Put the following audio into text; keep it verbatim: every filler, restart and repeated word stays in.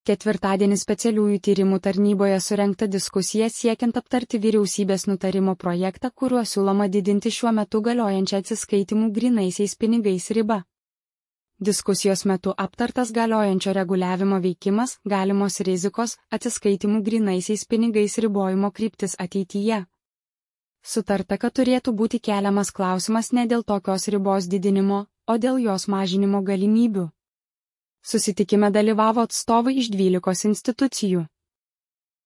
Ketvirtadienį specialiųjų tyrimų tarnyboje surengta diskusija siekiant aptarti vyriausybės nutarimo projektą, kuriuo siūloma didinti šiuo metu galiojančią atsiskaitimų grynaisiais pinigais ribą. Diskusijos metu aptartas galiojančio reguliavimo veikimas, galimos rizikos, atsiskaitimų grynaisiais pinigais ribojimo kryptis ateityje. Sutarta, kad turėtų būti keliamas klausimas ne dėl tokios ribos didinimo, o dėl jos mažinimo galimybių. Susitikime dalyvavo atstovai iš dvylikos institucijų.